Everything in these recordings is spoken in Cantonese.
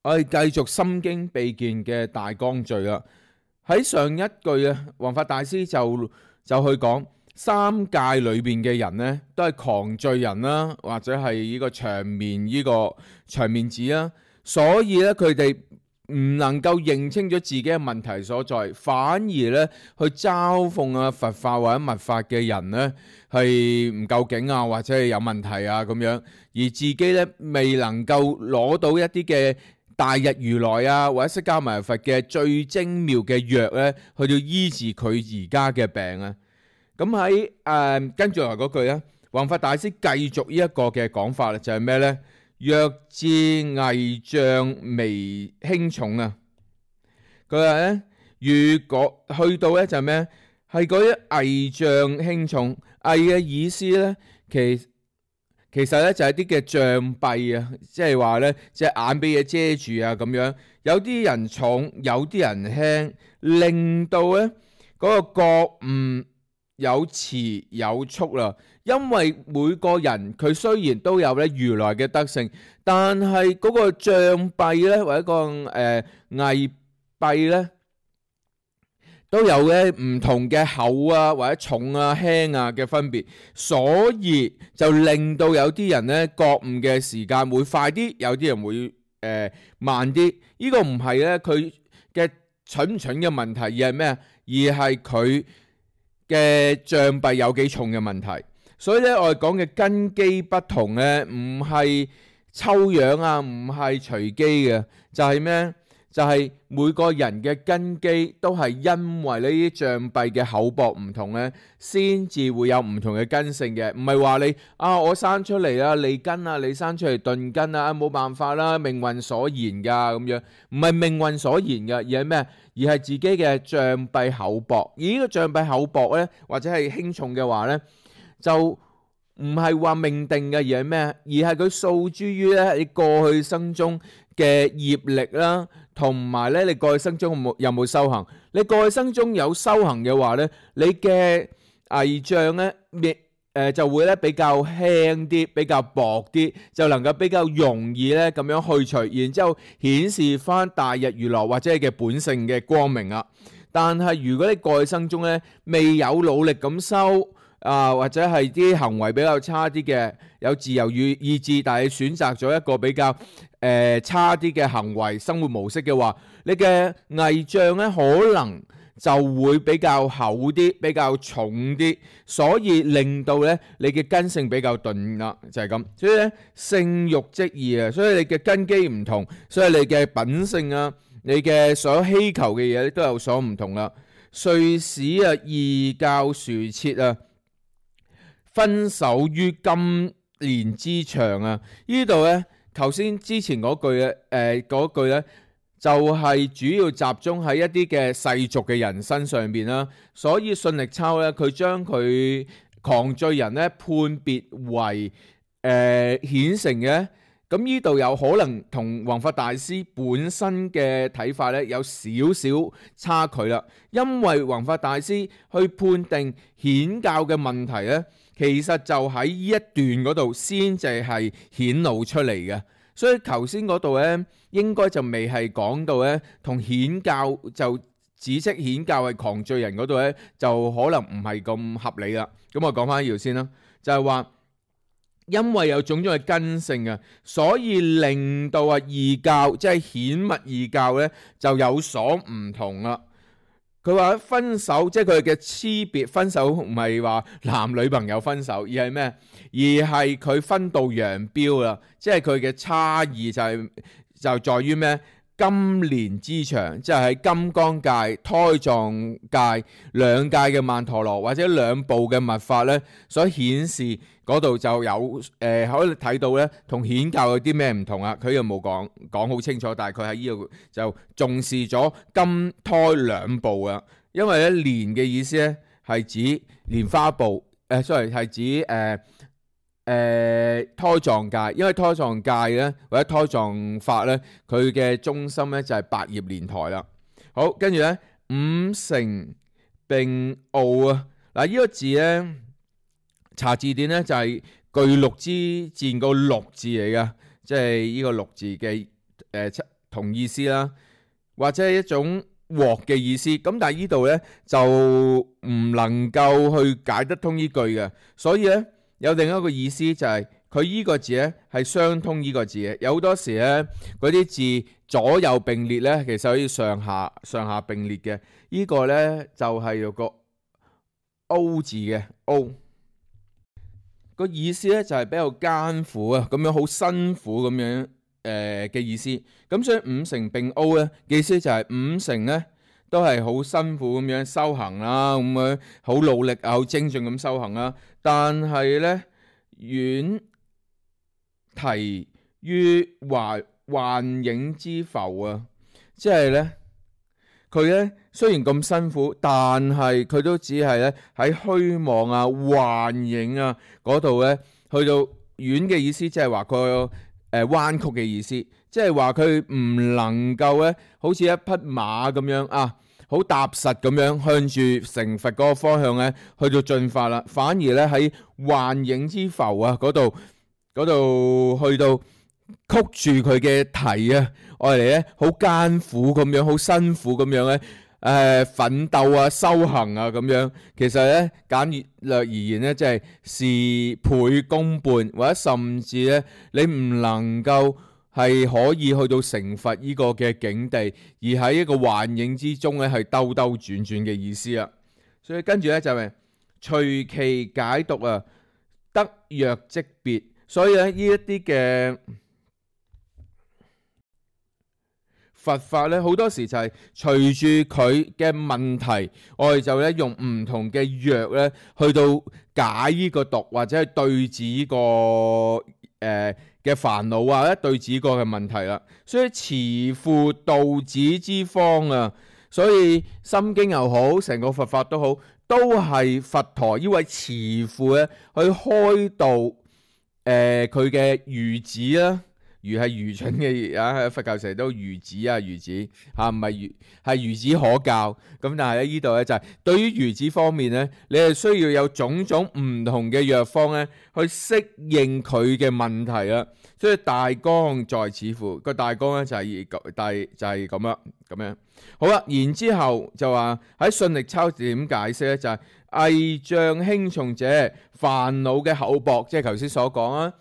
我哋繼續心經秘見嘅大綱序啦。喺上一句啊，弘法大師就去講三界裏邊嘅人呢，都係狂罪人啦，或者係呢個長面子啦，所以咧佢哋唔能夠認清咗自己嘅問題所在，反而咧去嘲諷啊佛法或者密法嘅人呢係唔夠勁啊，或者係有問題啊咁樣，而自己咧未能夠攞到一啲嘅大日如來啊或者釋迦牟尼佛嘅最精妙嘅藥咧，去到醫治佢而家嘅病啊。咁喺跟住嚟嗰句咧，弘法大師繼續呢一個嘅講法啦，就係咩咧？若至偽障微輕重啊，佢話咧，如果去到咧就係咩？係嗰啲偽障輕重，偽嘅意思咧，其實咧就係啲嘅障蔽啊，即係話咧隻眼俾嘢遮住啊咁樣。有啲人重，有啲人輕，令到咧嗰個覺悟有遲有速啦。因為每個人佢雖然都有咧如來嘅德性，但係嗰個障蔽咧或者個偽蔽咧，都有咧唔同嘅厚啊或者重啊輕啊嘅分別，所以就令到有啲人咧覺悟嘅時間會快啲，有啲人會慢啲。呢個唔係咧佢嘅蠢唔蠢嘅問題，而係咩啊？而係佢嘅障蔽有幾重嘅問題。所以咧我哋講嘅根基不同咧，唔係抽樣啊，唔係隨機嘅，就係咩？就係每個人嘅根基都係因為呢啲障蔽嘅厚薄唔同咧，先至會有唔同嘅根性嘅。唔係話你我生出嚟啦利根啊，你生出嚟鈍根啊，冇辦法啦，命運所言噶咁樣。唔係命運所言噶，而係咩？而係自己嘅障蔽厚薄。而呢個障蔽厚薄咧，或者係輕重嘅話咧，就唔係話命定嘅，而係咩？而係佢訴諸於咧你過去生中嘅業力啦，同埋咧你過去生中有冇修行？你過去生中有修行嘅話咧，你嘅偽障咧就會咧比較輕啲，比較薄啲，就能夠比較容易咧咁樣去除，然之後顯示翻大日如來或者係嘅本性嘅光明啊。但係如果你過去生中咧未有努力咁修，或者係啲行為比較差啲嘅，有自由意志，但係選擇咗一個比較差啲嘅行為生活模式嘅話，你嘅偽障咧可能就會比較厚啲，比較重啲，所以令到咧你嘅根性比較鈍啦，就係咁。所以咧性欲即異啊，所以你嘅根基唔同，所以你嘅品性啊，你嘅所有希求嘅嘢都有所唔同啦。遂使異教殊設啊，分守於金蓮之場啊！呢度咧，頭先之前嗰句咧，就係主要集中喺一啲嘅世俗嘅人身上邊啦。所以信力抄咧，佢將佢狂罪人咧判別為顯成嘅。咁呢度有可能同弘法大師本身嘅睇法咧有少少差距啦。因為弘法大師去判定顯教嘅問題咧，其實就喺呢一段嗰度先至係顯露出嚟嘅，所以頭先嗰度咧應該就未係講到咧同顯教就指斥顯教係狂罪人嗰度咧，就可能唔係咁合理啦。咁我講翻呢條先啦，就係話因為有種種嘅根性啊，所以令到異教即係顯密異教咧就有所唔同啦。佢話分手，即係佢嘅差別分手，唔係話男女朋友分手，而係咩？而係佢分道揚鑣啦，即係佢嘅差異就在於咩？金蓮之場，即係喺金剛界、胎藏界兩界嘅曼陀羅或者兩部嘅密法咧，所顯示嗰度就有可以睇到咧，同顯教有啲咩唔同啊？佢又冇講好清楚，但係佢喺呢度就重視咗金胎兩部啊。因為咧蓮嘅意思咧係指蓮花部，sorry 係指胎藏界，因為胎藏界咧或者胎藏法咧，佢嘅中心咧就係百葉蓮台啦。好，跟住咧五乘並奧啊，嗱呢個字咧查字典咧就係巨鹿之戰個鹿字嚟噶，即係呢個鹿字嘅同意思啦，或者係一種鑊嘅意思。咁但係呢度呢，就唔能夠去解得通呢句嘅，所以呢，有另一個意思就係佢呢個字呢係相通呢個字嘅。有好多時呢，嗰啲字左右並列呢，其實可以上下並列嘅。呢個呢，就係有個 O 字嘅 O。個意思咧就係比較艱苦啊，咁樣好辛苦咁樣嘅意思。咁所以五成並 O 咧，意思就係五成咧都係好辛苦咁樣修行啦，咁樣好努力啊，好精進咁修行啦。但係咧遠提於幻影之浮啊，即係咧。佢咧雖然咁辛苦，但係佢都只係咧喺虛妄啊、幻影啊嗰度咧，去到遠嘅意思，即係話佢彎曲嘅意思，即係話佢唔能夠咧，好似一匹馬咁樣啊，好踏實咁樣向住成佛嗰個方向咧去到進發啦，反而咧喺幻影之浮啊嗰度去到曲住佢嘅題啊，我哋咧好艱苦咁樣，好辛苦咁樣咧，奮鬥啊、修行啊咁樣。其實咧簡略而言咧，即係事倍功半，或者甚至咧你唔能夠係可以去到成佛呢個嘅境地，而喺一個幻影之中咧係兜兜轉轉嘅意思啊。所以跟住咧就係隨其解讀啊，得若即別。所以咧呢一啲嘅佛法咧，好多時就係隨住佢嘅問題，我哋就咧用唔同嘅藥咧，去到解呢個毒，或者係對治呢個嘅煩惱啊，或者對治呢個嘅問題啦。所以慈父道子之方啊，所以心經又好，成個佛法都好，都係佛陀呢位慈父咧去開導佢嘅愚子啦。愚係愚蠢嘅啊，佛教成日都愚子啊，愚子嚇唔係愚，係愚子可教。咁但係咧呢度咧就係對於愚子方面咧，你係需要有種種唔同嘅藥方咧，去適應佢嘅問題啦。所以大綱在此乎，個大綱咧就係咁樣。好啦，然之後就話喺信力抄點解釋咧，就係偽障輕重者，煩惱嘅厚薄，即係頭先所講啊。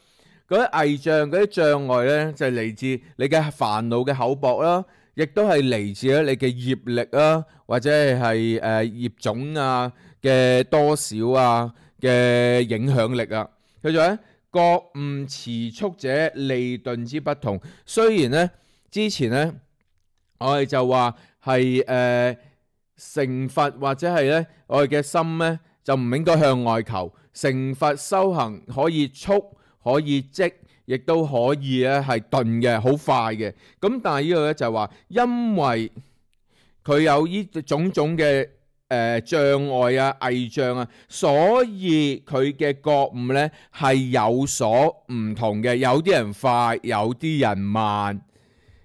嗰啲偽障、嗰啲障礙咧，就係嚟自你嘅煩惱嘅厚薄啦，亦都係嚟自咧你嘅業力啦，或者係業種啊嘅多少啊嘅影響力啊。佢就咧覺悟遲速者利鈍之不同。雖然咧之前咧我哋就話係成佛或者係咧我哋嘅心咧就唔應該向外求，成佛修行可以速。可以即，亦都可以咧係鈍嘅，好快嘅。咁但係呢個咧就係話，因為佢有呢種種嘅障礙啊、偽障啊，所以佢嘅覺悟咧係有所唔同嘅。有啲人快，有啲人慢，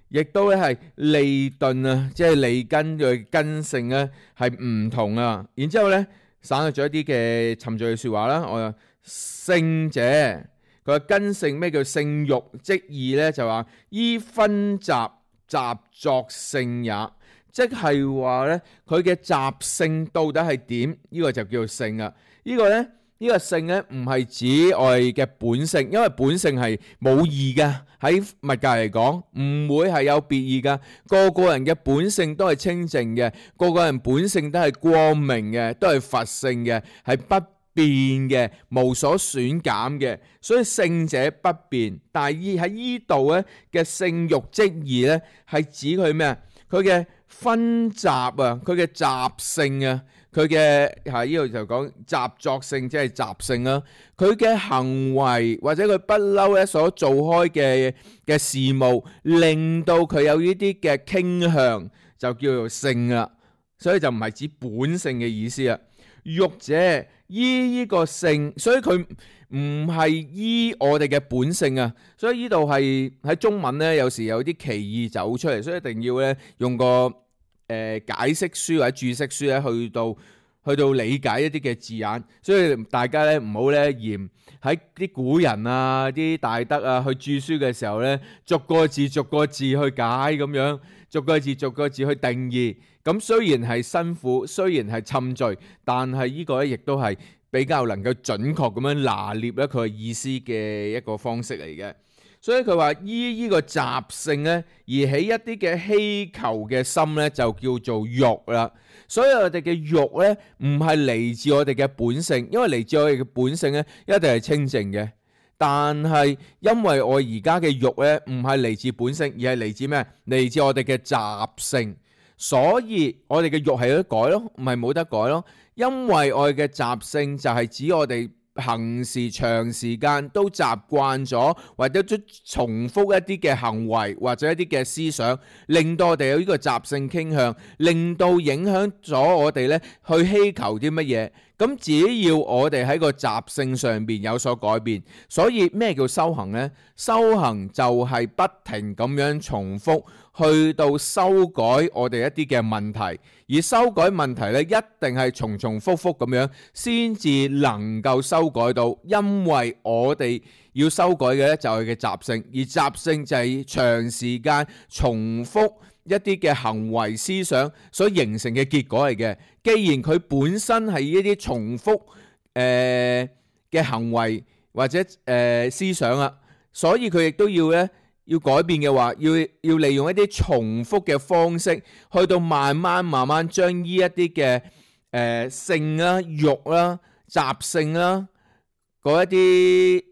亦都咧係利鈍啊，即係利根嘅根性咧係唔同啊。然之後咧省略咗一啲嘅沉醉嘅説話啦。我話聖者。佢話根性，咩叫性欲即義咧？就話依分集習作性也，即係話咧佢嘅習性到底係點？呢個就叫做性啊！呢個咧呢個性咧唔係指我哋嘅本性，因為本性係冇義嘅，喺物界嚟講唔會係有別義噶。個個人嘅本性都係清淨嘅，個個人本性都係光明嘅，都係佛性嘅，係不變嘅，無所損減嘅，所以聖者不變。但係喺呢度咧嘅性欲即義咧，係指佢咩啊？佢嘅分習啊，佢嘅習性啊，佢嘅喺呢度就講習作性，即係習性啦。佢嘅行為或者佢不嬲咧所做開嘅事務，令到佢有呢啲嘅傾向，就叫做性啦。所以就唔係指本性嘅意思啊。欲者依呢個性，所以佢唔係依我哋嘅本性啊。所以呢度係喺中文咧，有時有啲歧義走出嚟，所以一定要咧用個解釋書或者注釋書咧去到理解一啲嘅字眼，所以大家咧唔好咧嫌喺啲古人啊、啲大德啊去注釋嘅時候咧，逐個字逐個字去解咁樣，逐個字逐個字去定義。咁雖然係辛苦，雖然係侵罪，但係呢個咧亦都係比較能夠準確咁樣拿捏咧佢嘅意思嘅一個方式嚟嘅。所以佢話依呢個習性咧，而起一啲嘅希求嘅心咧，就叫做欲啦。所以我哋嘅欲咧，唔係嚟自我哋嘅本性，因為嚟自我哋嘅本性咧，一定係清淨嘅。但係因為我而家嘅欲咧，唔係嚟自本性，而係嚟自咩？嚟自我哋嘅習性。所以我哋嘅欲係有得改咯，唔係冇得改咯。因為我哋嘅習性就係指我哋行事長時間都習慣咗，或者都重複一啲嘅行為或者一啲嘅思想，令到我哋有呢個習性傾向，令到影響咗我哋咧去希求啲乜嘢。咁只要我哋喺個習性上邊有所改變，所以咩叫修行呢？修行就係不停咁樣重複，去到修改我哋一啲嘅問題。而修改問題咧，一定係重重複複咁樣，先至能夠修改到。因為我哋要修改嘅咧就係嘅習性，而習性就係長時間重複一啲嘅行為思想所形成嘅結果嚟嘅。既然佢本身係一啲重複嘅行為或者思想啊，所以佢亦都要咧要改變嘅話，要利用一啲重複嘅方式，去到慢慢將呢一啲嘅性啦、欲啦、習性啦嗰一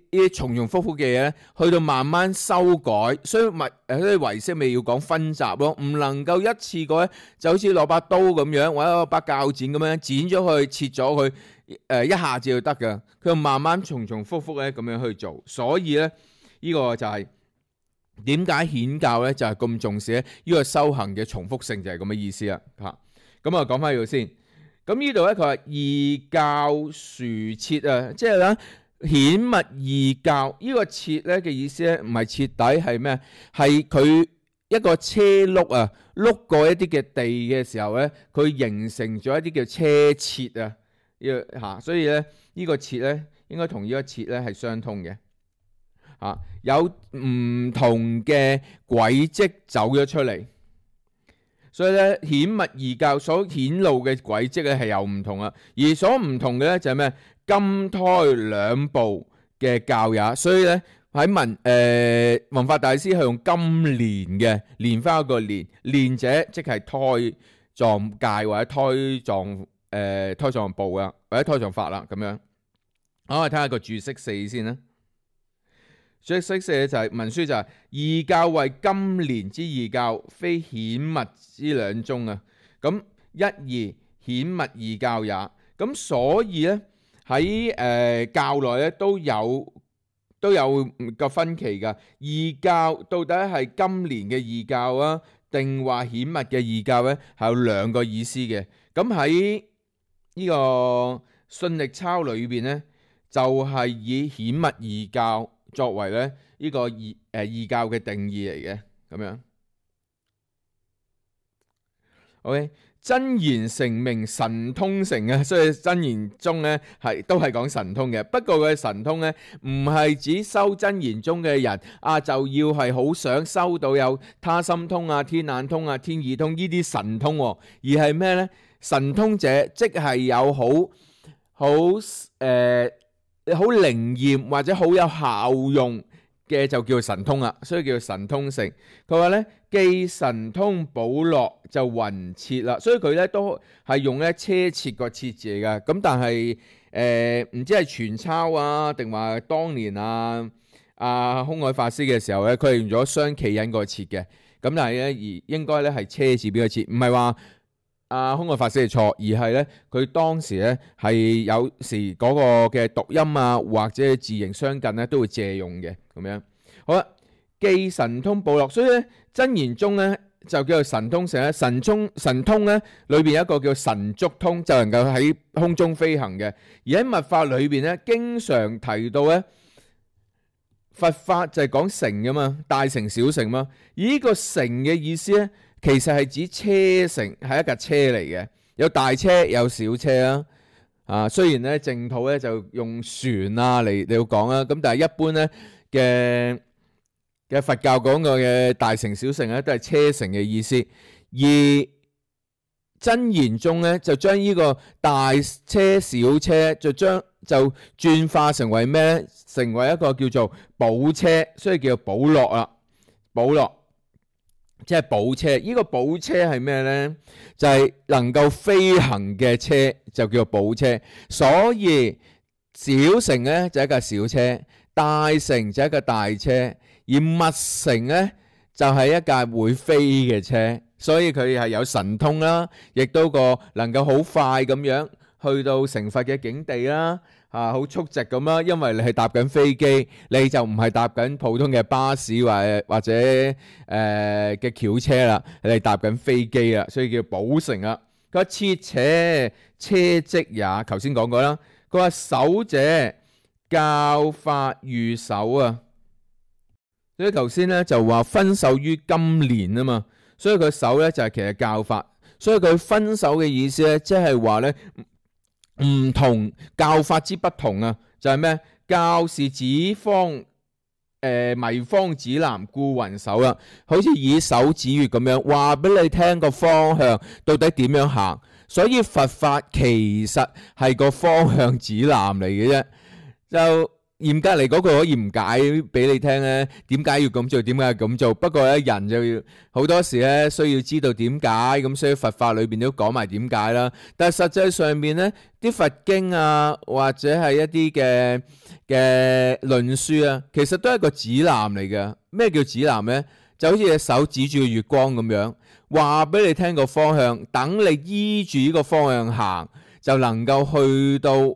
啲重複嘅嘢咧，去到慢慢修改。所以唯識咪要講分集咯，唔能夠一次過咧就好似攞把刀咁樣，或者攞把鉸剪咁樣剪咗佢、切咗佢，一下子就得㗎。佢慢慢重複咧咁樣去做。所以咧呢個就係點解顯教咧就係咁重視咧呢個修行嘅重複性，就係咁嘅意思啦。嚇，咁啊講翻呢度先。咁呢度咧佢話異教殊徹啊，即係咧顯密異教呢個徹咧嘅意思咧，唔係徹底係咩？係佢一個車轆啊，碌過一啲嘅地嘅時候咧，佢形成咗一啲叫車徹啊。嚇，所以咧呢個徹咧應該同呢個徹咧係相通嘅。嚇，有唔同嘅軌跡走咗出嚟。所以咧，顯密異教所顯露嘅軌跡咧係有唔同啊，而所唔同嘅咧就係咩？金胎兩部嘅教也。所以咧喺文法大師係用金蓮嘅，蓮花個蓮，蓮者即係胎狀界或者胎狀部啊，或者胎狀法啦咁樣。好，我哋睇下個注釋四先啦。注釋四就係文書就係異教為金蓮之異教，非顯密之兩宗啊。咁一二顯密異教也。咁所以咧喺教內咧都有個分歧噶。異教到底係金蓮嘅異教啊，定話顯密嘅異教咧？係有兩個意思嘅。咁喺呢個信力抄裏邊咧，就係以顯密異教作為咧呢個異教嘅定義嚟嘅咁樣。OK， 真言成名神通成啊，所以真言宗咧都係講神通嘅。不過佢嘅神通咧唔係指修真言宗嘅人啊，就要係好想收到有他心通啊、天眼通啊、天耳通呢啲神通，而係咩咧？神通者即係有好靈驗或者好有效用嘅就叫神通啦，所以叫神通成。佢話咧既神通寶樂就雲徹啦，所以佢咧都係用咧車徹個徹字嚟噶。咁但係唔知係傳抄啊定話當年空海法師嘅時候咧，佢係用咗雙企人個徹嘅。咁但係咧而應該咧係車字邊個徹，唔係話空海法師係錯，而係咧佢當時咧係有時嗰個嘅讀音啊或者字形相近咧都會借用嘅咁樣。好啦，既神通寶樂，所以咧真言宗咧就叫做神通成咧。神通咧裏邊有一個叫神足通，就能夠喺空中飛行嘅。而喺密法裏邊咧，經常提到咧佛法就係講乘噶嘛，大乘小乘嘛。而呢個乘嘅意思咧，其實係指車乘，係一架車嚟嘅。有大車有小車啊。雖然咧淨土咧就用船啊嚟講啦，咁但係一般咧嘅佛教講嘅大乘小乘咧都係車乘嘅意思，而真言中咧就將呢個大車小車就轉化成為咩？成為一個叫做寶車，所以叫做寶樂啦。寶樂即係寶車，呢個寶車係咩呢？就係能夠飛行嘅車，就叫做寶車。所以小乘呢就係一架小車，大乘就係一架大車，而密乘呢就係一架會飛嘅車。所以佢係有神通啦，亦都能夠好快咁樣去到成佛嘅境地啦，好速直咁啦。因為你係搭緊飛機，你就唔係搭緊普通嘅巴士或者嘅轎車啦，你係搭緊飛機啦，所以叫寶乘啦。佢話切且車積也，頭先講過啦。佢話首者教法御手啊，所以頭先咧就話分手於金蓮啊嘛。所以佢手咧就係其實教法，所以佢分手嘅意思咧，即係話咧唔同教法之不同啊，就係咩？教是指方迷方指南，故云手啦，好似以手指月咁樣話俾你聽個方向到底點樣行。所以佛法其實係個方向指南嚟嘅啫，就嚴格嚟講，佢可以唔解俾你聽咧，點解要咁做？點解要咁做？不過咧，人就要好多時咧需要知道點解，咁所以佛法裏邊都講埋點解啦。但係實際上面咧，啲佛經啊，或者係一啲嘅論書啊，其實都係一個指南嚟嘅。咩叫指南咧？就好似隻手指住個月光咁樣，話俾你聽個方向，等你依住呢個方向行，就能夠去到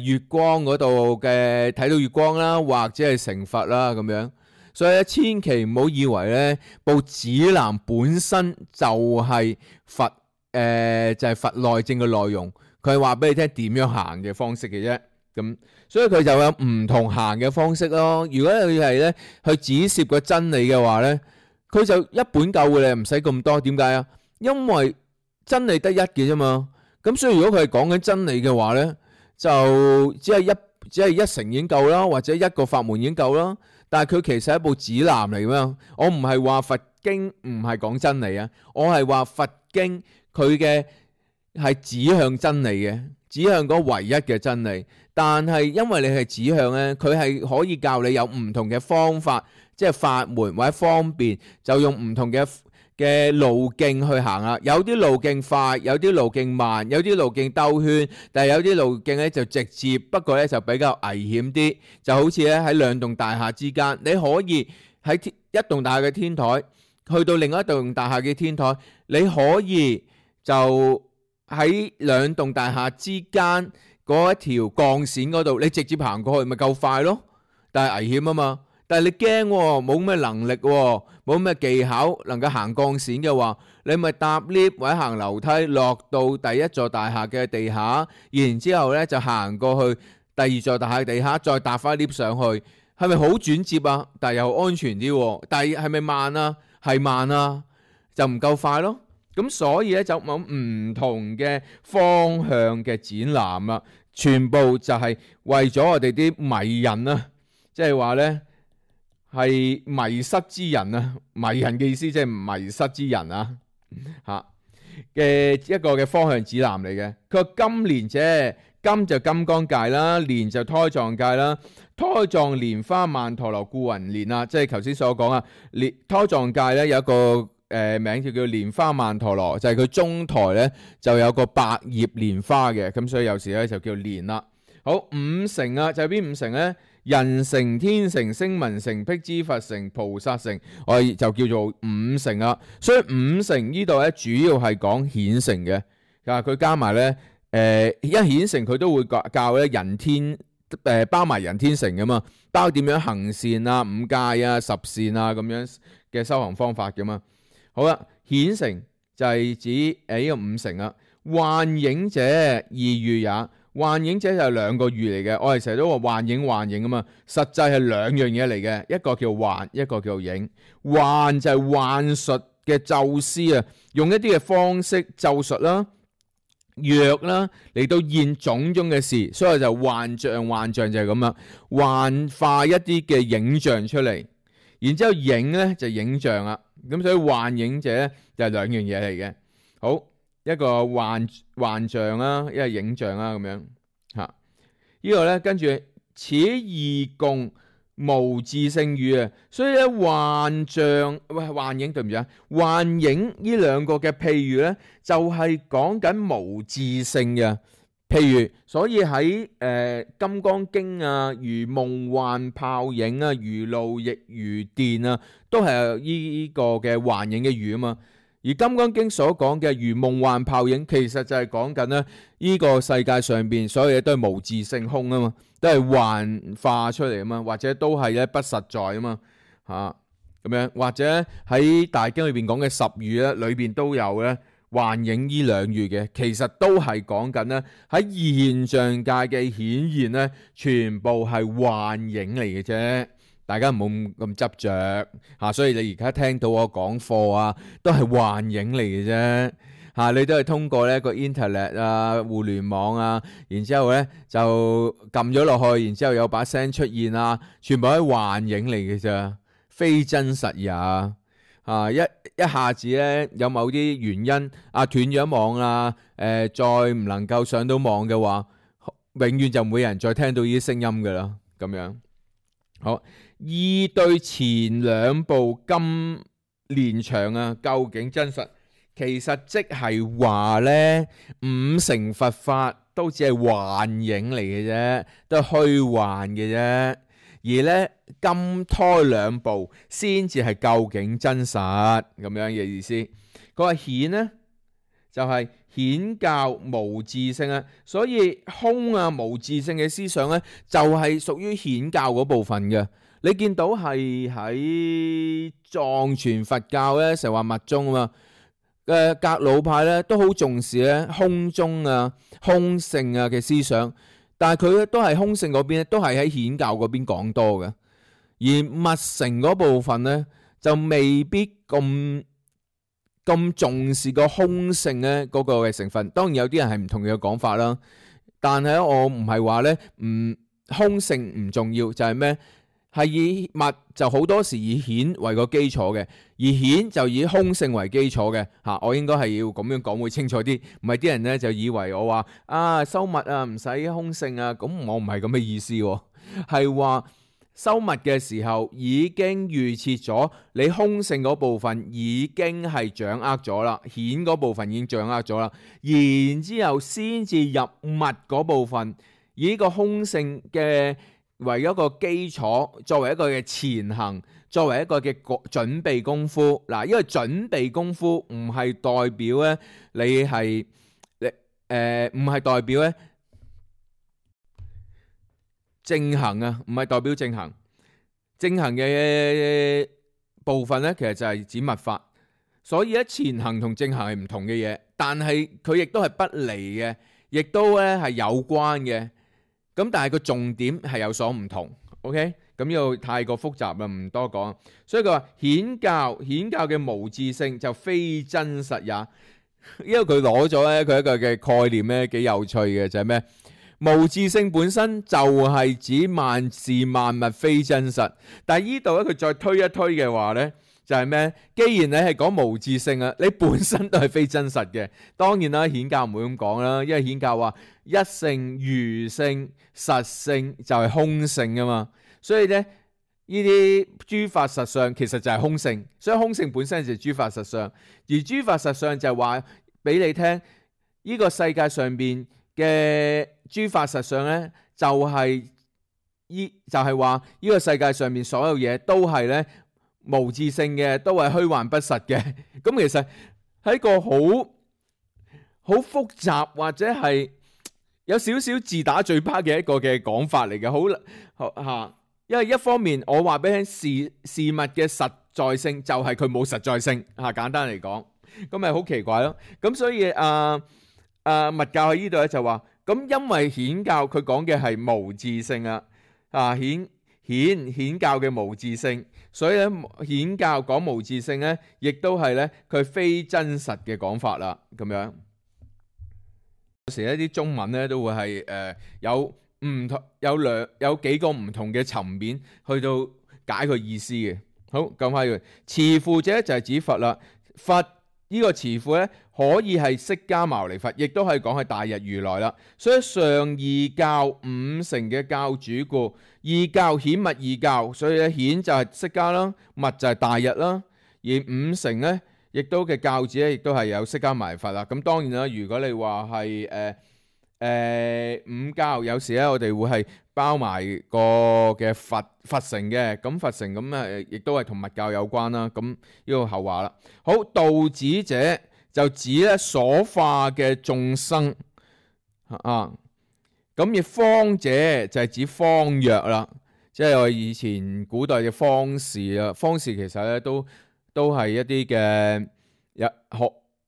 月光嗰度嘅睇到月光啦，或者係成佛啦咁樣。所以咧，千祈唔好以為咧部指南本身就係佛佛內證嘅內容，佢係話俾你聽點樣行嘅方式嘅啫。咁所以佢就有唔同行嘅方式咯。如果佢係咧去指涉個真理嘅話咧，佢就一本夠嘅，你唔使咁多。點解啊？因為真理得一嘅啫嘛。咁所以如果佢係講緊真理嘅話咧，就只係一乘已經夠啦，或者一個法門已經夠啦。但係佢其實係一部指南嚟㗎。我唔係話佛經唔係講真理啊，我係話佛經佢嘅係指向真理嘅，指向嗰唯一嘅真理。但係因為你係指向咧，佢係可以教你有唔同嘅方法，即係法門或者方便，就用唔同嘅路徑去行啦。有啲路徑快，有啲路徑慢，有啲路徑兜圈，但係有啲路徑咧就直接，不過咧就比較危險啲。就好似咧喺兩棟大廈之間，你可以喺一棟大廈嘅天台去到另一棟大廈嘅天台，你可以就喺兩棟大廈之間嗰一條鋼線嗰度，你直接行過去咪夠快咯。但係危險啊嘛。但係你驚喎，冇咩能力喎，冇咩技巧能夠行鋼線嘅話，你咪搭 lift 或者行樓梯落到第一座大廈嘅地下，然之後咧就行過去第二座大廈嘅地下，再搭翻 lift 上去，係咪好轉接啊？但係又安全啲喎。但係係咪慢啊？係慢啊，就唔夠快咯。咁所以咧就冇唔同嘅方向嘅展覽啦，全部就係為咗我哋啲迷人啊，即係話咧。係迷失之人啊，迷人嘅意思即係迷失之人啊，嘅一個嘅方向指南嚟嘅。佢話金蓮者，金就金剛界啦，蓮就胎藏界啦。胎藏蓮花曼陀羅故云蓮啊，即係頭先所講啊。胎藏界咧有一個名叫蓮花曼陀羅，就係佢中台咧就有個百葉蓮花嘅，咁所以有時咧就叫蓮啦。好，五乘啊，就係邊五乘咧？人乘、天乘、聲聞乘、辟支佛乘、菩薩乘，我哋就叫做五乘啦。所以五乘呢度咧，主要係講顯乘嘅。佢加埋咧，一顯乘佢都會教咧人天，包埋人天乘噶嘛，包點樣行善啊、五戒啊、十善啊咁樣嘅修行方法噶嘛。好啦，顯乘就係指呢個五乘啦。幻影者二喻也。幻影者就係兩個喻嚟嘅，我哋成日都話幻影啊嘛，實際係兩樣嘢嚟嘅，一個叫幻，一個叫影。幻就係幻術嘅咒師啊，用一啲嘅方式咒術啦，藥啦嚟到現種種嘅事，所以就幻象就係咁啦，幻化一啲嘅影像出嚟，然之後影咧就影像啦，咁所以幻影者咧就係兩樣嘢嚟嘅。好，一個幻象啦，一個影像啦，咁樣嚇。呢個咧跟住此二共無自性語啊，所以咧幻象幻影對唔住啊，幻影呢兩個嘅譬喻咧，就係講緊無自性嘅譬如，所以喺金剛經啊，如夢幻泡影啊，如露亦如電啊，都係呢個嘅幻影嘅語啊嘛。而金剛經所講嘅如夢幻泡影，其實就係講緊咧呢個世界上邊所有嘢都係無自性空啊嘛，都係幻化出嚟啊嘛，或者都係咧不實在啊嘛嚇咁樣，或者喺大經裏邊講嘅十語咧，裏邊都有咧幻影呢兩語嘅，其實都係講緊咧喺現象界嘅顯現咧，全部係幻影嚟嘅啫。大家唔好咁執着嚇，所以你而家聽到我講課啊，都係幻影嚟嘅啫嚇，你都係通過呢個 internet 啊、互聯網啊，然之後咧就撳咗落去，然之後有把聲出現啊，全部係幻影嚟嘅咋，非真實也啊！一下子咧有某啲原因啊斷咗網啊，再唔能夠上到網嘅話，永遠就冇人再聽到呢啲聲音㗎啦，咁樣好。二對前兩部金連場啊，究竟真實？其實即係話呢，五乘佛法都只係幻影嚟嘅啫，都係虛幻嘅啫。而呢金胎兩部先至係究竟真實咁樣嘅意思。佢話顯呢就係顯教無自性啊，所以空啊無自性嘅思想呢，就係屬於顯教嗰部分嘅。你見到係喺藏傳佛教咧，成日話密宗啊嘛，格魯派咧都好重視咧空中啊、空性啊嘅思想，但係佢咧都係空性嗰邊咧，都係喺顯教嗰邊講多嘅，而密乘嗰部分咧就未必咁重視個空性咧嗰個嘅成分。當然有啲人係唔同嘅講法啦，但係我唔係話咧空性唔重要，就係咩？係以密就好多時以顯為個基礎嘅，而顯就以空性為基礎嘅嚇。我應該係要咁樣講會清楚啲，唔係啲人咧就以為我話修密啊唔使空性啊，咁我唔係咁嘅意思喎，係話修密嘅時候已經預設咗你空性嗰部分已經係掌握咗啦，顯嗰部分已經掌握咗啦，然之後先至入密嗰部分，以呢個空性嘅為一個基礎，作為一個嘅前行，作為一個嘅準備功夫。嗱，因為準備功夫唔係代表咧，你係唔係代表咧正行啊，唔係代表正行。正行嘅部分咧，其實就係指密法。所以咧，前行同正行係唔同嘅嘢，但係佢亦都係不離嘅，亦都咧係有關嘅。咁但係個重點係有所唔同 ，OK？咁呢個太過複雜啦，唔多講。所以佢話顯教嘅無自性就非真實也，因為佢攞咗咧佢一個嘅概念咧幾有趣嘅，就係咩？無自性本身就係指萬事萬物非真實，但係呢度咧佢再推一推嘅話咧。就係咩？既然你係講無自性啊，你本身都係非真實嘅。當然啦，顯教唔會咁講啦，因為顯教話一性、餘性、實性就係空性啊嘛。所以咧，呢啲諸法實相其實就係空性，所以空性本身就係諸法實相。而諸法實相就係話俾你聽，呢個世界上邊嘅諸法實相咧，就係話呢個世界上面所有嘢都係咧。無自性嘅都係虛幻不實嘅，咁其實係一個好複雜或者係有少少自打嘴巴嘅一個嘅講法嚟嘅，好嚇。因為一方面我話俾你聽事物嘅實在性就係佢冇實在性嚇，簡單嚟講，咁咪好奇怪咯。咁所以密教喺呢度咧就話，咁因為顯教佢講嘅係無自性啊，顯教嘅無自性。所以咧，顯教講無自性咧，亦都係咧佢非真實嘅講法啦，咁樣。有時一啲中文咧都會係有幾個唔同嘅層面去到解佢意思嘅。好，咁翻佢慈父者就係指佛啦。佛呢個慈父咧可以係釋迦牟尼佛，亦都係講係大日如來啦。所以上二教五乘嘅教主故，二教顯密二教，所以咧顯就係釋迦啦，密就係大日啦，而五乘咧亦都嘅教主咧亦都係有釋迦牟尼佛啦。咁當然啦，如果你話係五教，有時咧我哋會係包埋個嘅佛乘嘅，咁佛乘咁亦都係同密教有關啦。咁呢個後話啦。好，道子者就指咧所化嘅眾生啊，咁而方者就係指方藥啦，即係我以前古代嘅方士啦。方士其實咧都係一啲嘅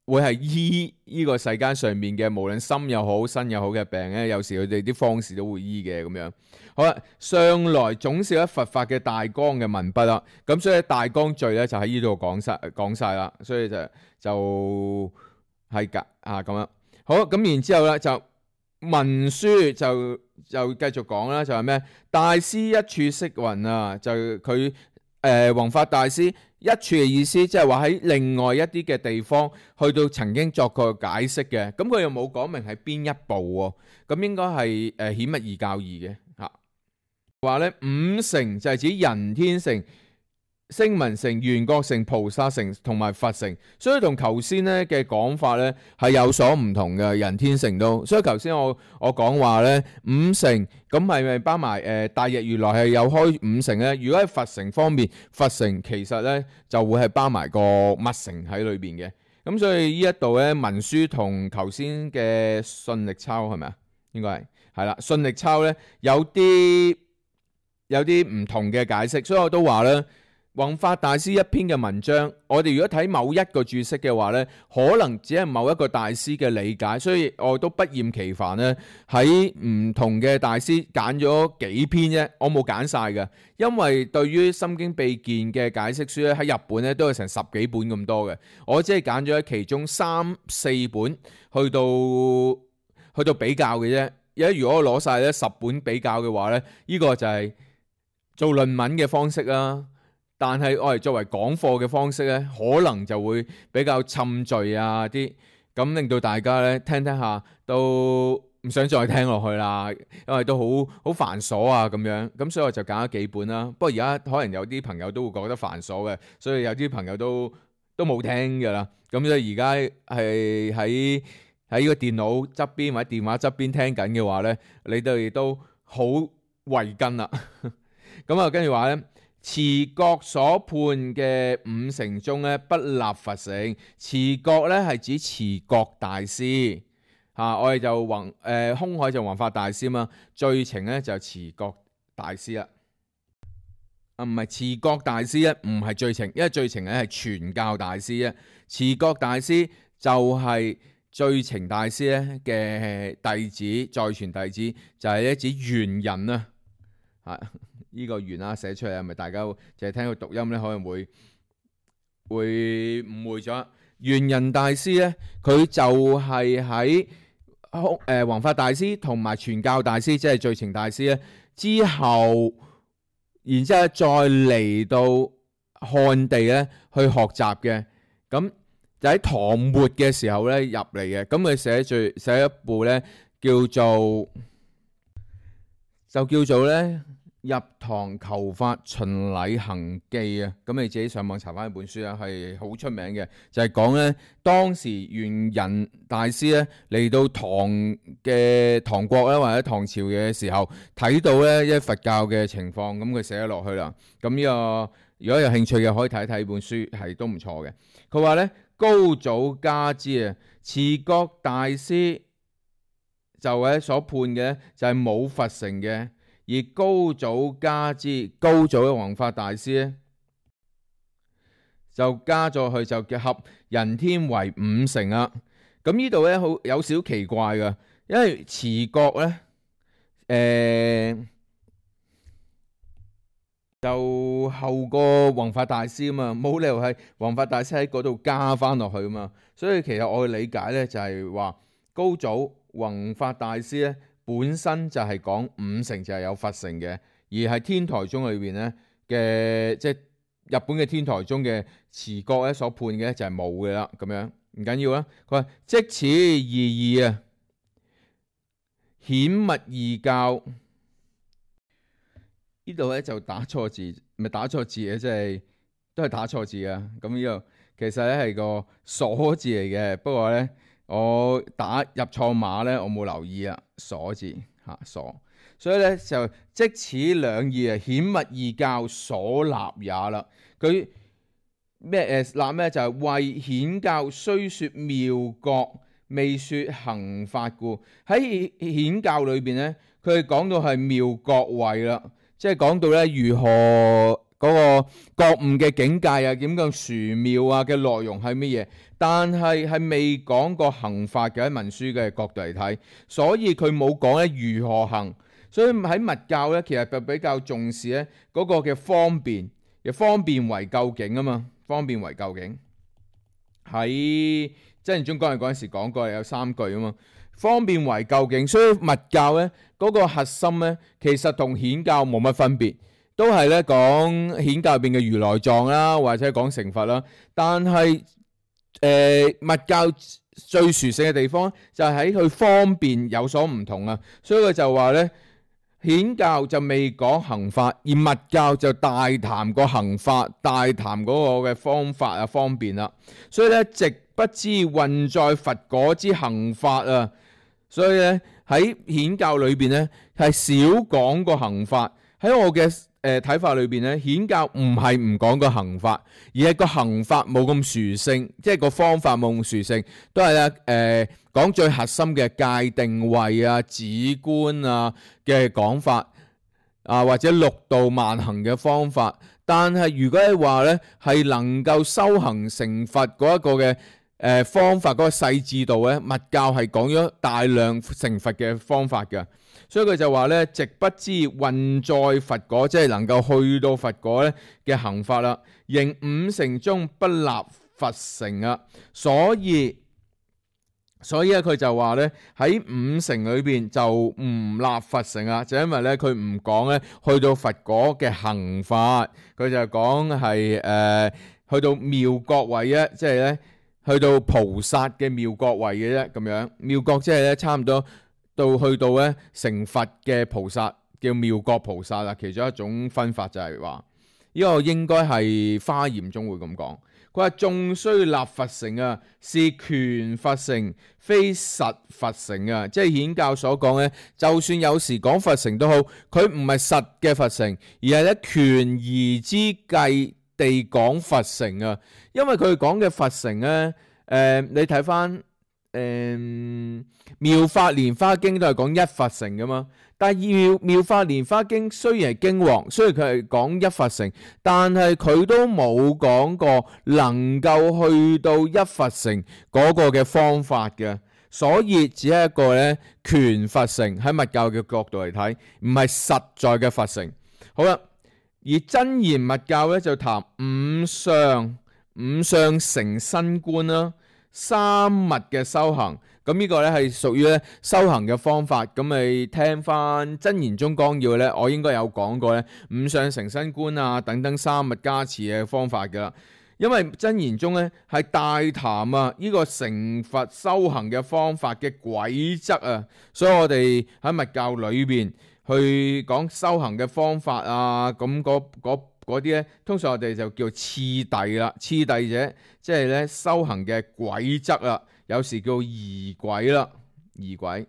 會係醫呢個世間上面嘅無論心又好身又好嘅病咧，有時佢哋啲方士都會醫嘅咁樣。好啦，上來總是一佛法嘅大綱嘅文筆啦，咁所以大綱序咧就喺呢度講晒啦，所以就係咁樣。好，咁然之後咧就文書就繼續講啦，就係咩？大師一處釋雲啊，就佢弘法大師一處嘅意思，即係話喺另外一啲嘅地方去到曾經作過解釋嘅，咁佢又冇講明係邊一部喎，咁應該係顯密二教義嘅嚇。話咧五乘就係指人天乘、聲聞乘、緣覺乘、菩薩乘同埋佛乘，所以同頭先咧嘅講法咧係有所唔同嘅。人天乘都，所以頭先我講話咧五乘咁係咪包埋大日如來係有開五乘咧？如果喺佛乘方面，佛乘其實咧就會係包埋個密乘喺裏邊嘅。咁所以呢一度咧文書同頭先嘅信力抄係咪啊？應該係啦，信力抄咧有啲唔同嘅解釋，所以我都話咧。弘法大師一篇嘅文章，我哋如果睇某一個注釋嘅話呢，可能只係某一個大師嘅理解，所以我都不厭其煩呢喺唔同嘅大師揀咗幾篇啫，我冇揀晒嘅，因為對於《心經秘見》嘅解釋書咧喺日本咧都有成10幾本咁多嘅，我只係揀咗其中3、4本去到比較嘅啫。如果我攞晒咧10本比較嘅話呢，呢個就係做論文嘅方式啦。但係我哋作為講課嘅方式咧，可能就會比較侵序啊啲，咁令到大家咧聽下都唔想再聽落去啦，因為都好繁瑣啊咁樣，咁所以我就揀咗幾本啦。不過而家可能有啲朋友都會覺得繁瑣嘅，所以有啲朋友都冇聽㗎啦。咁所以而家係喺呢個電腦側邊或者電話側邊聽緊嘅話咧，你哋都好慧根啦。咁啊，跟住話咧。持覺所判嘅五乘中咧，不立佛乘。持覺咧係指持覺大師嚇，我哋就空海就弘法大師嘛，最澄咧就持覺大師啦。唔係持覺大師咧，唔係最澄，因為最澄咧係傳教大師啊。持覺大師就係最澄大師咧嘅弟子，再傳弟子就係咧指玄人啊，係。呢個圓寫出嚟係咪大家淨係聽佢讀音咧，可能會誤會咗？玄人大師咧，佢就係喺弘法大師同埋傳教大師，即係最澄大師咧之後，然之後再嚟到漢地咧去學習嘅。咁就喺唐末嘅時候咧入嚟嘅。咁佢寫一部咧叫做咧。入堂求法循禮行記啊，咁你自己上網查翻一本書啊，係好出名嘅，就係講咧當時玄人大師咧嚟到唐國咧或者唐朝嘅時候，睇到咧一佛教嘅情況，咁佢寫咗落去啦。咁呢個如果有興趣嘅可以睇一睇本書，係都唔錯嘅。佢話咧高祖嘉之啊，持覺大師就係所判嘅就係冇佛乘嘅。而高祖嘉之，高祖嘅弘法大師咧，就加咗去就結合人天為五乘啦。咁呢度咧好有少奇怪嘅，因為持覺咧，就後個弘法大師啊嘛，冇理由係弘法大師喺嗰度加翻落去啊嘛。所以其實我嘅理解咧就係話高祖弘法大師咧本身就係講五乘就係有佛乘嘅，而係天台宗裏邊咧嘅即係日本嘅天台宗嘅持國咧所判嘅就係冇嘅啦，咁樣唔緊要啦。佢話即此二義啊，顯密異教。呢度咧就打錯字，唔係打錯字嘅，即係都係打錯字啊。咁呢度其實咧係個鎖字嚟嘅，不過咧我打入錯碼咧，我冇留意啊，鎖字嚇鎖。所以咧就即此兩義啊，顯密異教所立也啦。佢咩立咩就係為顯教雖說妙覺，未說行法故。喺顯教裏邊咧，佢講到係妙覺位啦，即係講到咧如何嗰個覺悟嘅境界啊，點樣殊妙啊嘅內容係乜嘢，但係未講過行法嘅，喺文書嘅角度嚟睇，所以佢冇講咧如何行。所以喺密教咧，其實就比較重視咧嗰個嘅方便，亦方便為究竟啊嘛，方便為究竟。喺真言宗講嗰陣時講過有3句啊嘛，方便為究竟。所以密教咧嗰個核心咧，其實同顯教冇乜分別，都係咧講顯教入邊嘅如來藏啦，或者講成佛啦。但係密教最殊勝嘅地方就係喺佢方便有所唔同啊，所以佢就話咧。顯教就未講行法，而密教就大談個行法，大談嗰個嘅方法啊方便啦。所以咧，直不知運在佛果之行法啊。所以咧喺顯教裏邊咧係少講個行法。喺我嘅睇法裏邊咧，顯教唔係唔講個行法，而係個行法冇咁殊勝，即係個方法冇咁殊勝，都係咧講最核心嘅界定位啊、止觀啊嘅講法啊，或者六度萬行嘅方法。但係如果係話咧，係能夠修行成佛嗰一個嘅方法嗰個細緻度咧，密教係講咗大量成佛嘅方法嘅。所以佢就話咧，直不知運在佛果，即係能夠去到佛果咧嘅行法啦。仍五乘中不立佛乘啊，所以咧佢就話咧喺五乘裏邊就唔立佛乘啊，就因為咧佢唔講咧去到佛果嘅行法，佢就講係去到妙覺位啊，即係咧去到菩薩嘅妙覺位嘅啫，咁樣妙覺即係咧差唔多。去到咧成佛嘅菩薩叫妙覺菩薩啦，其中一種分法就係話呢個應該係華嚴中會咁講。佢話縱須立佛乘啊，是權佛乘，非實佛乘啊。即係顯教所講咧，就算有時講佛乘都好，佢唔係實嘅佛乘，而係咧權宜之計地講佛乘啊。因為佢講嘅佛乘咧，你睇翻。妙法蓮華經都係講一佛乘噶嘛，但係妙法蓮華經雖然係經王，雖然佢係講一佛乘，但係佢都冇講過能夠去到一佛乘嗰個嘅方法嘅，所以只係一個咧權佛乘，喺密教嘅角度嚟睇，唔係實在嘅佛乘。好啦，而真言密教咧就談五相成身觀啦。三密嘅修行，咁呢個咧係屬於咧修行嘅方法。咁你聽翻真言宗綱要咧，我應該有講過咧五相成身觀啊等等三密加持嘅方法噶啦。因為真言宗咧係大談啊呢個成佛修行嘅方法嘅軌則啊，所以我哋喺密教裏邊去講修行嘅方法啊，咁嗰啲咧，通常我哋就叫次第啦，次第者即係咧修行嘅軌則啦，有時叫儀軌啦，儀軌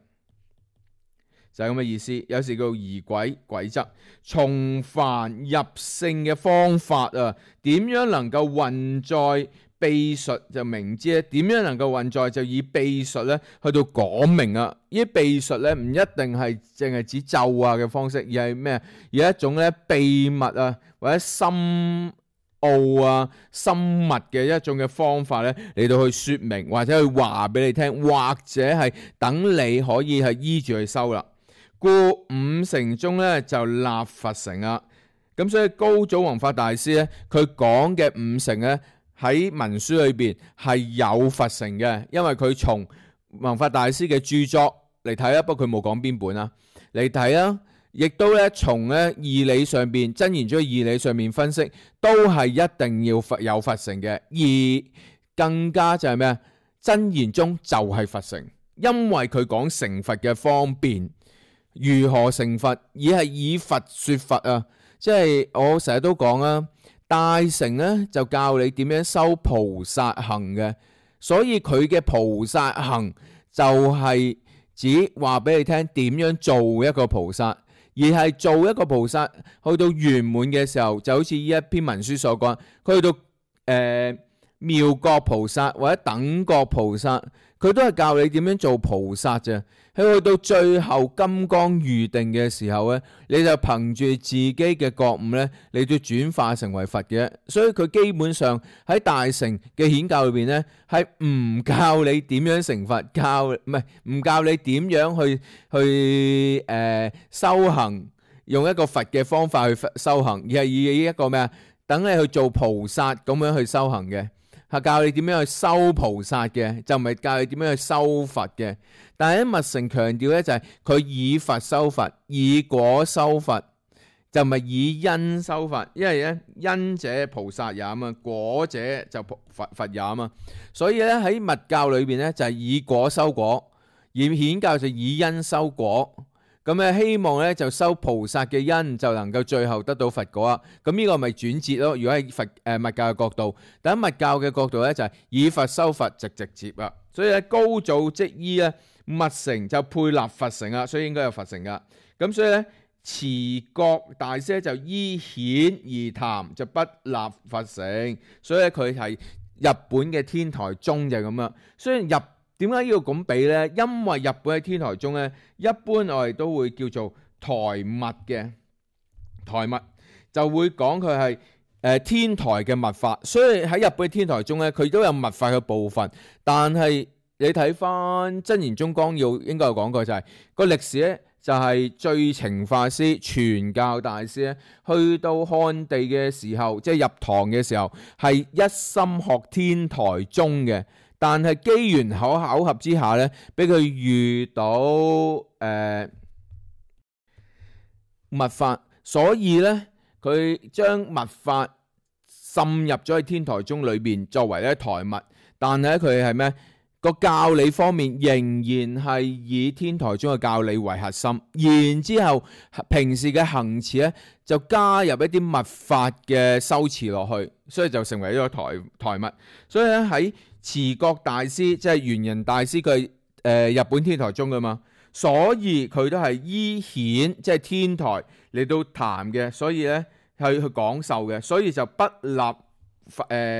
就係咁嘅意思，有時叫儀軌軌則。從凡入聖嘅方法啊，點樣能夠運在秘術就明知咧，點樣能夠運在就以秘術咧去到講明啊！呢啲秘術咧唔一定係淨係指咒啊嘅方式，而係咩啊？而係一種咧秘密啊，或者深奧啊、深密嘅一種嘅方法咧嚟到去說明，或者去話俾你聽，或者係等你可以係依住去修啦。故五乘中咧就立佛乘啊！咁所以高祖弘法大師咧，佢講嘅五乘咧。喺文書裏邊係有佛乘嘅，因為佢從弘法大師嘅著作嚟睇啦，不過佢冇講邊本啦，嚟睇啦。亦都咧從咧義理上邊，箴言中嘅義理上面分析，都係一定要有罰繩嘅。而更加就係咩啊？箴言中就係罰繩，因為佢講懲罰嘅方便，如何懲罰，而係以罰說罰啊！即係我成日都講啊，大乘咧就教你點樣修菩薩行嘅，所以佢嘅菩薩行就係指話俾你聽點樣做一個菩薩。而係做一個菩薩去到圓滿嘅時候，就好似呢一篇文書所講，佢去到妙覺菩薩或者等覺菩薩，佢都係教你點樣做菩薩啫。去到最後金剛預定嘅時候咧，你就憑住自己嘅覺悟咧，你都轉化成為佛嘅。所以佢基本上喺大乘嘅顯教裏邊咧，係唔教你點樣成佛，唔教你點樣去修行，用一個佛嘅方法去修行，而係以一個咩啊？等你去做菩薩咁樣去修行嘅。係教你點樣去修菩薩嘅，就唔係教你點樣去修佛嘅。但係喺密乘強調咧，就係佢以佛修佛，以果修佛，就唔係以因修佛。因為咧，因者菩薩也啊嘛，果者就佛也啊嘛。所以咧喺密教裏邊咧就係以果修果，而顯教就以因修果。咁咧希望咧就修菩薩嘅因，就能夠最後得到佛果啊！咁呢個咪轉折咯。如果喺密教嘅角度，但喺密教嘅角度咧就係以佛修佛，直接啊。所以咧高祖即依咧密乘就配立佛乘啊，所以應該有佛乘噶。咁所以咧持覺大師就依顯而談，就不立佛乘。所以咧佢係日本嘅天台宗就係咁樣。雖然點解要咁比呢？因為日本喺天台宗咧，一般我哋都會叫做台密嘅，台密就會講佢係天台嘅密法，所以喺日本嘅天台宗咧，佢都有密法嘅部分。但係你睇翻《真言宗綱要》，應該有講過就係個歷史咧，就係最澄法師傳教大師咧，去到漢地嘅時候，即係入唐嘅時候，係一心學天台宗嘅。但係機緣巧合之下咧，俾佢遇到密法，所以咧佢將密法滲入咗喺天台宗裏邊，作為咧台密。但係咧佢係咩？個教理方面仍然係以天台宗嘅教理為核心，然之後平時嘅行持咧就加入一啲密法嘅修持落去，所以就成為一個台密。所以咧喺持覺大師即係圓人大師，佢係日本天台宗噶嘛，所以佢都係依顯即係天台嚟到談嘅，所以咧係去講授嘅，所以就不立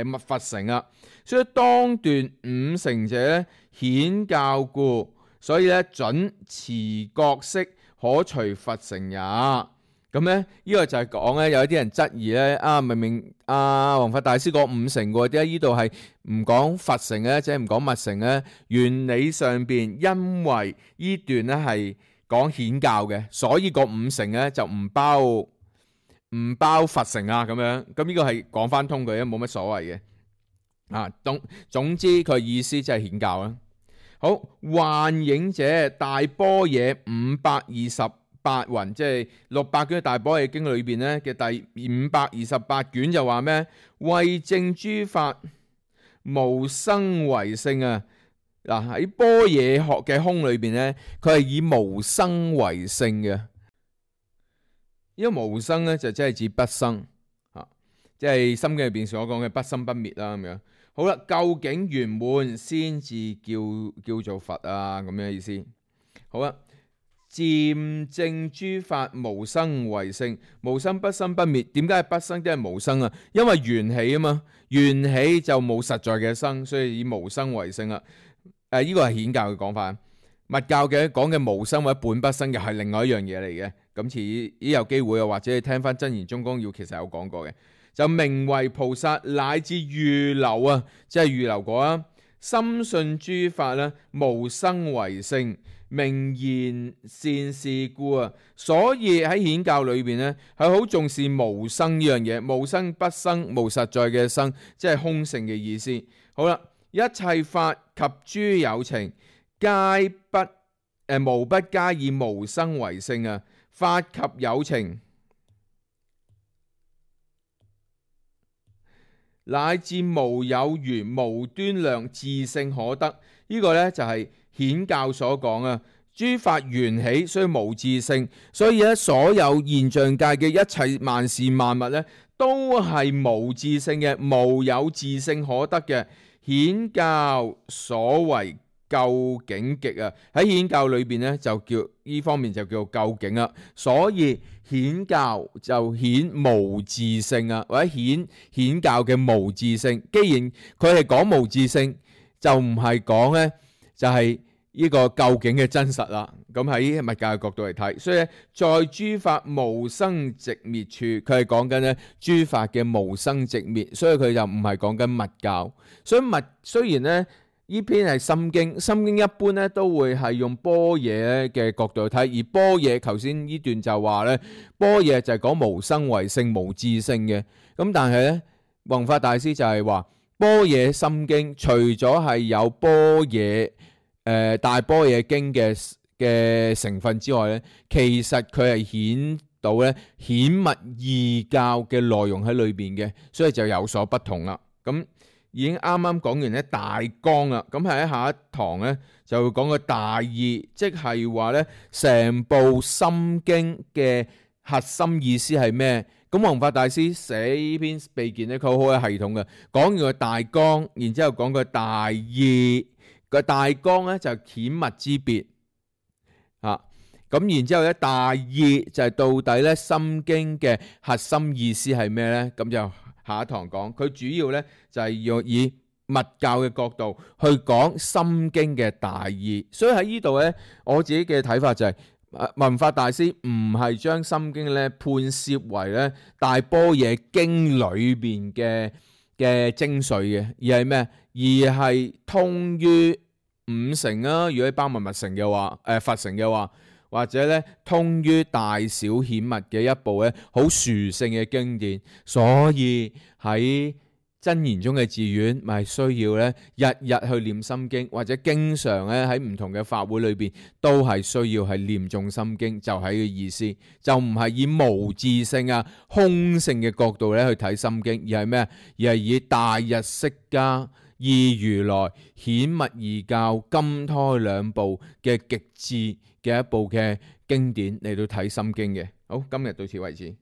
密佛乘啊。所以當斷五乘者咧顯教故，所以咧準持覺識可隨佛乘也。咁咧呢個就係講咧，有一啲人質疑咧明明弘法大師講五乘嘅，點解呢度係唔講佛乘咧，即係唔講密乘咧？原理上邊因為呢段咧係講顯教嘅，所以個五乘咧就唔包佛乘啊咁樣。咁呢個係講翻通佢，冇乜所謂嘅。總之佢意思即係顯教啦。好，幻影者大般若528云，即係600卷大般若經裏邊咧嘅第528卷就話咩？為證諸法無生為性啊！嗱，喺般若學嘅空裏邊咧，佢係以無生為性嘅。呢個無生咧就即係指不生即係心經入邊所講嘅不生不滅啦咁樣。好啦，究竟圓滿先至叫做佛啊，咁樣意思。好啦，漸證諸法無生為性，無生不生不滅。點解係不生？點解係無生啊？因為緣起啊嘛，緣起就冇實在嘅生，所以以無生為性啦。呢個係顯教嘅講法，密教嘅講嘅無生或者本不生嘅係另外一樣嘢嚟嘅。咁遲啲有機會啊，或者你聽翻《真言宗綱要》，其實有講過嘅。就名為菩薩乃至預流啊，即係預流果啊。深信諸法咧無生為性，名言善事故啊。所以喺顯教裏邊咧係好重視無生呢樣嘢，無生不生，無實在嘅生，即係空性嘅意思。好啦，一切法及諸有情，皆不無不加以無生為性啊，發及有情，乃至無有餘、無端量、自性可得。呢個呢，就係顯教所講啊。諸法緣起，所以無自性，所以咧所有現象界嘅一切萬事萬物呢，都係無自性嘅，無有自性可得嘅。顯教所謂究竟極啊，喺顯教裏邊呢，就叫呢方面就叫究竟啊。所以顯教就顯無自性啊，或者顯教嘅無自性。既然佢係講無自性，就唔係講呢，就係呢個究竟嘅真實啦。咁喺密教嘅角度嚟睇，所以在諸法無生寂滅處，佢係講緊咧諸法嘅無生寂滅，所以佢就唔係講緊密教。所以雖然咧呢篇係心經，心經一般咧都會係用般若嘅角度去睇，而般若頭先呢段就話咧，般若就係講無生為性、無自性嘅。咁但係咧弘法大師就係話般若心經除咗係有般若大般若經嘅成分之外咧，其實佢係顯到咧顯密異教嘅內容喺裏邊嘅，所以就有所不同啦。咁已經啱啱講完咧大綱啦，咁喺下一堂咧就會講個大意，即係話咧成部心經嘅核心意思係咩？咁弘法大師寫呢篇秘見咧，佢好有系統嘅，講完個大綱，然之後講個大意。個大綱咧就係顯密之別啊，咁然之後咧大意就係到底咧心經嘅核心意思係咩咧？咁就下一堂講，佢主要咧就係要以密教嘅角度去講心經嘅大意。所以喺呢度咧，我自己嘅睇法就係弘法大師唔係將心經咧判攝為咧大般若經裏邊嘅精髓嘅，而係咩？而係通於五乘啊，如果包埋密乘嘅話，佛乘嘅話，或者咧通於大小顯密嘅一部咧好殊勝嘅經典。所以喺真言宗嘅寺院，咪需要咧日日去念心經，或者經常咧喺唔同嘅法會裏邊都係需要係念誦心經，就係個意思，就唔係以無自性啊空性嘅角度咧去睇心經，而係咩？而係以大日釋迦、二如來、顯密異教、金胎兩部嘅極致嘅一部嘅經典嚟到睇心經嘅。好，今日到此為止。